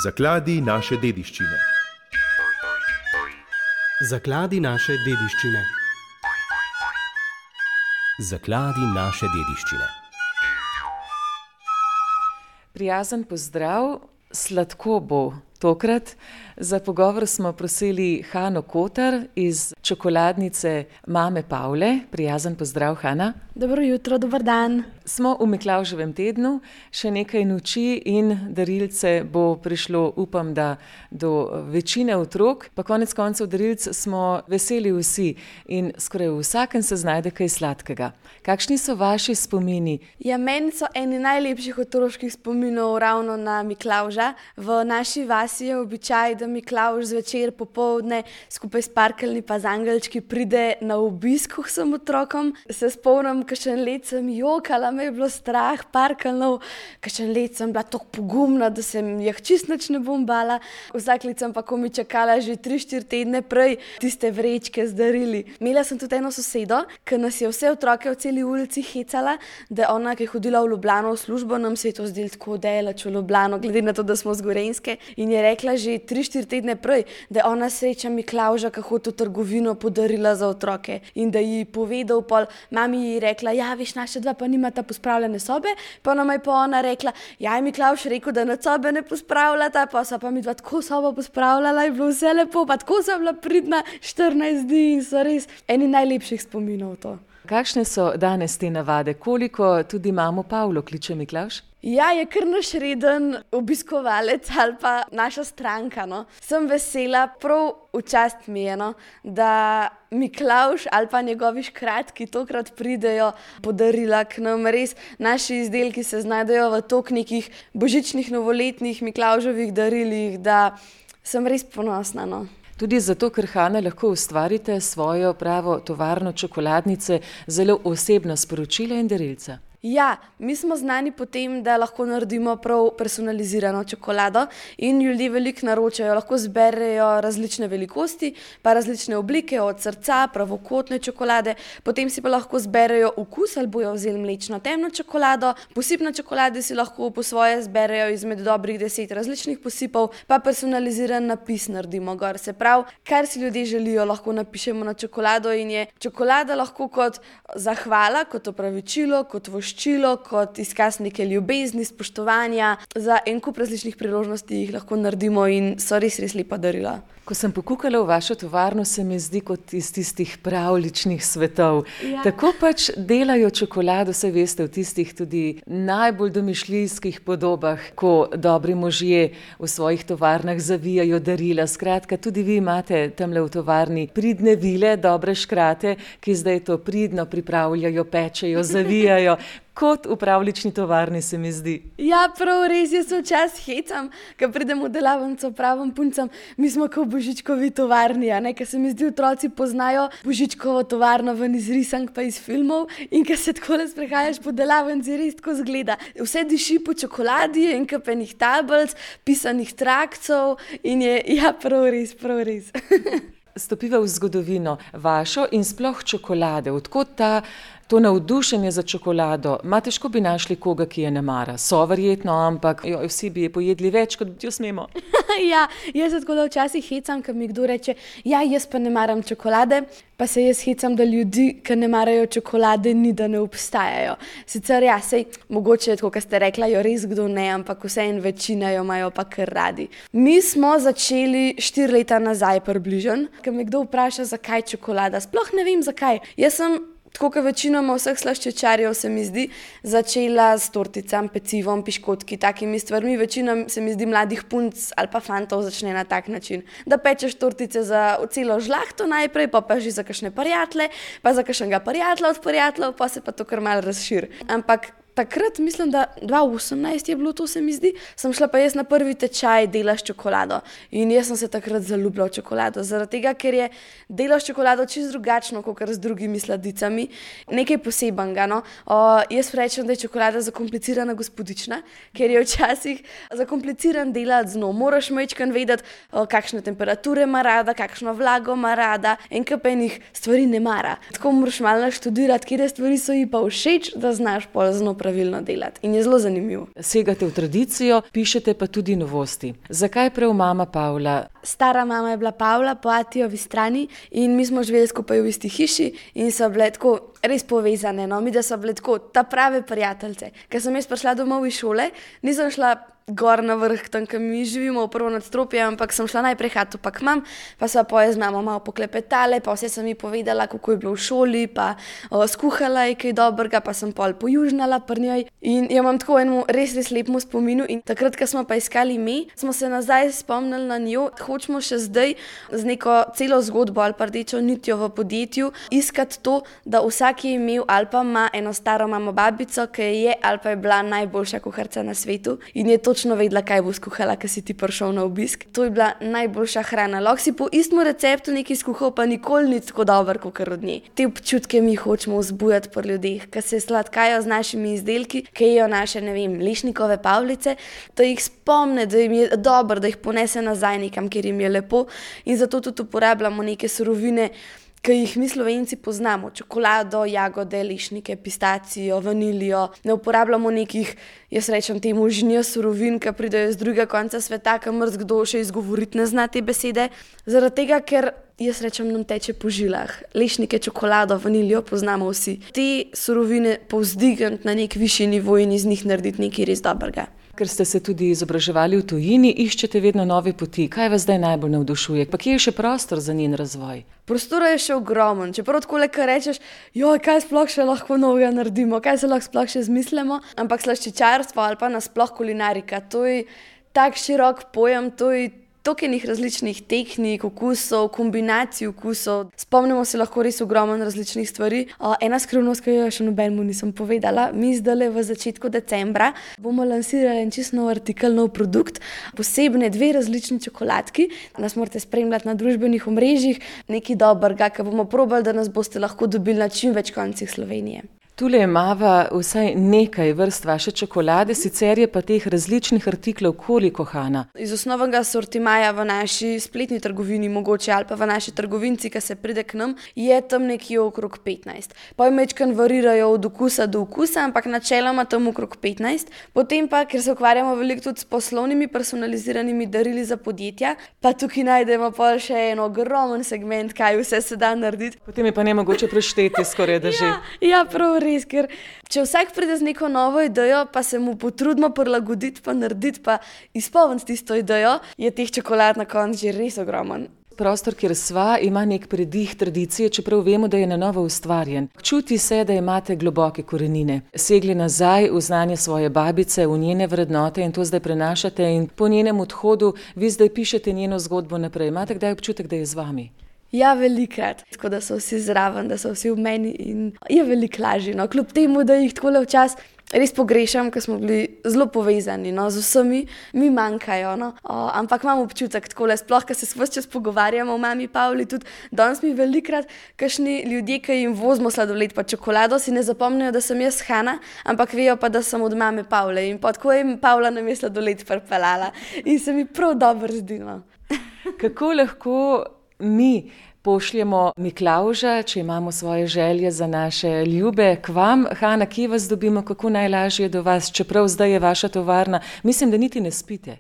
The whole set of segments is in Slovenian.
Zakladi naše dediščine. Zakladi naše dediščine. Zakladi naše dediščine. Prijazen pozdrav, sladko bo tokrat. Za pogovor smo prosili Hano Kotar iz čokoladnice Mame Pavle. Prijazen pozdrav, Hana. Dobro jutro, dober dan. Smo v Miklavževem tednu, še nekaj noči in darilce bo prišlo, upam, da do večine otrok. Pa konec koncev darilc smo veseli vsi in skoraj v vsakem se znajde kaj sladkega. Kakšni so vaši spomini? Ja, meni so eni najlepših otroških spominov ravno na Miklavža. V naši vasi je običaj, da Miklavž zvečer popoldne skupaj s parkeljni pa z angelčki pride na obisk vsem otrokom. Se spomnim, kakšen let sem jokala, me je bilo strah parkeljnov, kakšen let sem bila tako pogumna, da se jih čist nič ne bom bala. Vsak let sem pa komaj čakala že 3-4 tedne prej tiste vrečke z darili. Imela sem tudi eno sosedo, ki nas je vse otroke v celi ulici hecala, da ona, ki je hodila v Ljubljano v službo, nam se je to zdelo tako daleč v Ljubljano, glede na to, da smo z Gorenjske, in je rekla že 3-4 tedne prej, da ona sreča Miklavža, ki hodi v trgovino, podarila za otroke in da ji povedal pol, mami ji rekla, ja, veš, naša dva pa nimata pospravljene sobe, pa nama je pa ona rekla, ja, je Miklavž rekel, da nad sobe ne pospravljata, pa so pa mi dva tako sobo pospravljala, je bilo vse lepo, pa tako sem bila pridna 14 dni in so res eni najlepših spominov to. Kakšne so danes te navade? Koliko tudi mamo Pavlo kliče Miklavž? Ja, je kar naš reden obiskovalec ali pa naša stranka, no. Sem vesela, prav v čast mi je, no, da Miklavž ali pa njegovi škratki tokrat pridejo podarila k nam. Res, naši izdelki se znajdejo v toliko nekih božičnih, novoletnih, Miklavževih darilih, da sem res ponosna, no. Tudi zato, ker, Hana, lahko ustvarite svojo pravo tovarno čokoladnice, zelo osebna sporočila in darilca. Ja, mi smo znani po tem, da lahko naredimo prav personalizirano čokolado in ljudje veliko naročajo, lahko zberejo različne velikosti, pa različne oblike, od srca, pravokotne čokolade, potem si pa lahko zberejo okus ali bojo vzeli mlečno temno čokolado, posip na čokoladi si lahko po svoje zberejo izmed dobrih 10 različnih posipov, pa personaliziran napis naredimo gor. Se pravi, kar si ljudje želijo, lahko napišemo na čokolado in je čokolada lahko kot zahvala, kot opravičilo, kot voščilo, kot izkaz neke ljubezni, spoštovanja. Za en kup različnih priložnosti jih lahko naredimo in so res lepa darila. Ko sem pokukala v vašo tovarno, se mi zdi kot iz tistih pravljičnih svetov. Ja. Tako pač delajo čokolado, saj veste, v tistih tudi najbolj domišljijskih podobah, ko dobri možje v svojih tovarnah zavijajo darila. Skratka, tudi vi imate tamle v tovarni pridne vile, dobre škrate, ki zdaj to pridno pripravljajo, pečejo, zavijajo. Kot v pravljični tovarni, se mi zdi. Ja, prav res, jaz se včasih hecam, ko pridem v delavnico, pravim puncam, mi smo kot v Božičkovi tovarni, a ne, ker se mi zdi, otroci poznajo Božičkovo tovarno ven iz risank pa iz filmov in ko se takole sprehajaš po delavnici, res tako zgleda. Vse diši po čokoladi in kapenih tablic, pisanih trakcev in je, ja, prav res. Stopiva v zgodovino vašo in sploh čokolade. Odkot to navdušenje za čokolado? Težko bi našli koga, ki je ne mara. So verjetno, ampak vsi bi je pojedli več, kot jo smemo. Ja, jaz se tako da včasih hecam, ko mi kdo reče, ja, jaz pa ne maram čokolade, pa se jaz hecam, da ljudi, ki ne marajo čokolade, ni, da ne obstajajo. Sicer ja, sej, mogoče je tako, kot ste rekla, jo res kdo ne, ampak vseeno večina jo imajo pa kar radi. Mi smo začeli 4 leta nazaj približno, ko me kdo vpraša, zakaj čokolada. Sploh ne vem, zakaj. Jaz sem, tako kot večinoma vseh slaščičarjev, se mi zdi, začela s torticami, pecivom, piškotki, takimi stvarmi. Večina, se mi zdi, mladih punc ali pa fantov začne na tak način, da pečeš tortice za celo žlahto najprej, pa že za kakšne prijatelje, pa za kakšnega prijatelja od prijateljev, pa se pa to kar malo razširi. Ampak takrat, mislim, da 2018 je bilo to, se mi zdi, sem šla pa jaz na prvi tečaj dela s čokolado in jaz sem se takrat zaljubila v čokolado, zaradi tega, ker je delo s čokolado čisto drugačno, kot z drugimi sladicami, nekaj posebenega, no. Jaz rečem, da je čokolada zakomplicirana gospodična, ker je včasih zakompliciran delati z njo. Moraš majčkeno vedeti, kakšne temperature ima rada, kakšno vlago ima rada, en kup enih stvari ne mara. Tako moraš malo naštudirati, katere stvari so ji pa všeč, da znaš pol z njo pravilno delati in je zelo zanimiv. Segate v tradicijo, pišete pa tudi novosti. Zakaj prav mama Pavla? Stara mama je bila Pavla po atijovi strani in mi smo živeli skupaj v isti hiši in so bile tako res povezane, no, mi da so bile tako ta prave prijateljice. Ker sem jaz prišla domov iz šole, nisem šla gor na vrh, tam, kjer mi živimo, v prvo nadstropje, ampak sem šla najprej hatu pa k mam, pa sva poje z mamo malo poklepetale, pa vse sem ji povedala, kako je bilo v šoli, pa skuhala je kaj dobrega, pa sem pol pojužnala pri njej in jo imam tako enemu res lepemu spominu in takrat, ko smo pa iskali ime, smo se nazaj spomnili na njo, hočemo še zdaj z neko celo zgodbo ali pa rdečo nitjo v podjetju iskati to, da vsak je imel ali pa ima eno staro mamo babico, ki je ali pa je bila najboljša kuharica na svetu in je točno vedela, kaj bo skuhala, ko si ti prišel na obisk. To je bila najboljša hrana. Lahko si po istem receptu nekaj skuhal, pa nikoli ni tako dober, kot od nje. Te občutke mi hočemo vzbujati pri ljudeh, ki se sladkajo z našimi izdelki, ki jejo naše, ne vem, lešnikove pavlice, da jih spomne, da jim je dobro, da jih ponese nazaj nekam, kjer jim je lepo in zato tudi uporabljamo neke surovine, ki jih mi Slovenci poznamo, čokolado, jagode, lešnike, pistacijo, vanilijo. Ne uporabljamo nekih, jaz rečem temu, žnjo surovin, ki pridejo z drugega konca sveta, kamor kdo še izgovoriti ne zna te besede. Zaradi tega, ker jaz rečem, nam teče po žilah. Lešnike, čokolado, vanilijo poznamo vsi. Te surovine povzdigniti na nek višji nivo in iz njih narediti nekaj res dobrega. Ker ste se tudi izobraževali v tujini, iščete vedno nove poti. Kaj vas zdaj najbolj navdušuje? Pa kje je še prostor za njen razvoj? Prostora je še ogromen. Čeprav tako le, kar rečeš, kaj sploh še lahko novega naredimo, kaj se lahko sploh še zmislimo, ampak slaščičarstvo ali pa nasploh kulinarika, to je tak širok pojem, to je toliko enih različnih tehnik, okusov, kombinacij okusov. Spomnimo se lahko res ogromen različnih stvari. Ena skrivnost, ki jo še nobenemu nisem povedala, mi zdajle v začetku decembra bomo lansirali en čisto nov artikel, nov produkt, posebne 2 različni čokoladki. Nas morate spremljati na družbenih omrežjih, nekaj dobrega, ki bomo probali, da nas boste lahko dobili na čim več koncih Slovenije. Tule imava vsaj nekaj vrst vaše čokolade, sicer je pa teh različnih artiklov koliko, Hana? Iz osnovnega sortimaja v naši spletni trgovini mogoče ali pa v naši trgovinci, ki se pride k nam, je tam nekje okrog 15. Pa majčkeno varirajo od okusa do okusa, ampak načeloma tam okrog 15. Potem pa, ker se ukvarjamo veliko tudi s poslovnimi personaliziranimi darili za podjetja, pa tukaj najdemo pa še en ogromen segment, kaj vse se da narediti. Potem je pa nemogoče prešteti skoraj, da že. Ja, prav res, ker če vsak pride z neko novo idejo, pa se mu potrudimo prilagoditi, pa narediti, pa izpolniti tisto idejo, je teh čokolad na koncu že res ogromen. Prostor, kjer sva, ima nek predih tradicije, čeprav vemo, da je na novo ustvarjen. Čuti se, da imate globoke korenine. Segli nazaj v znanje svoje babice, v njene vrednote in to zdaj prenašate in po njenem odhodu vi zdaj pišete njeno zgodbo naprej. Imate kdaj občutek, da je z vami? Ja, velikrat. Tako da so vsi zraven, da so vsi v meni in je veliko lažje. No. Kljub temu, da jih takole včasih res pogrešam, ker smo bili zelo povezani, no, z vsemi, mi manjkajo, no. Ampak imam občutek takole, sploh, ker se ves čas pogovarjamo o mami Pavli, tudi danes mi velikrat kakšni ljudje, ki jim vozimo sladoled pa čokolado, si ne zapomnijo, da sem jaz Hana, ampak vejo pa, da sem od mame Pavle in pa tako je Pavla nam je sladoled pripeljala in se mi prav dobro zdi, no. Kako lahko mi pošljemo Miklavža, če imamo svoje želje za naše ljube, k vam? Hana, kje vas dobimo, kako najlažje do vas, čeprav zdaj je vaša tovarna? Mislim, da niti ne spite.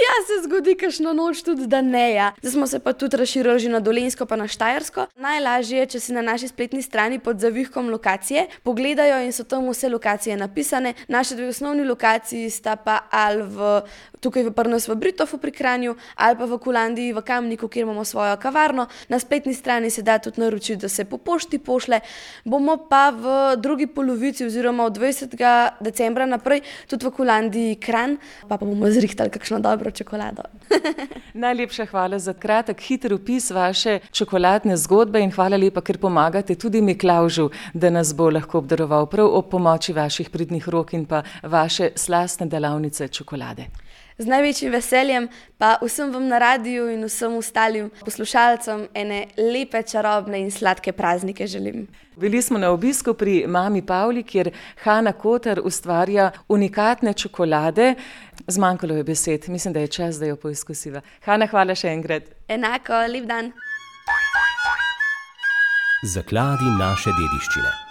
Ja, se zgodi kakšno noč tudi, da ne, ja. Zdaj smo se pa tudi razširili že na Dolenjsko pa na Štajersko. Najlažje je, če si na naši spletni strani pod zavihkom lokacije pogledajo in so tam vse lokacije napisane. Naše 2 osnovni lokaciji sta pa ali tukaj pri nas v Britofu pri Kranju ali pa v Kulandiji v Kamniku, kjer imamo svojo kavarno. Na spletni strani se da tudi naročiti, da se po pošti pošle. Bomo pa v drugi polovici oziroma od 20. decembra naprej tudi v Kulandiji Kranj, pa bomo zrihtali kakšno dobro čokolado. Najlepša hvala za kratek, hiter opis vaše čokoladne zgodbe in hvala lepa, ker pomagate tudi Miklavžu, da nas bo lahko obdaroval prav ob pomoči vaših pridnih rok in pa vaše slastne delavnice čokolade. Z največjim veseljem pa vsem vam na radiju in vsem ostalim poslušalcem ene lepe, čarobne in sladke praznike želim. Bili smo na obisku pri mami Pavli, kjer Hana Kotar ustvarja unikatne čokolade. Zmanjkalo je besed, mislim, da je čas, da jo poizkusiva. Hana, hvala še enkrat. Enako, lep dan. Zakladi naše dediščine.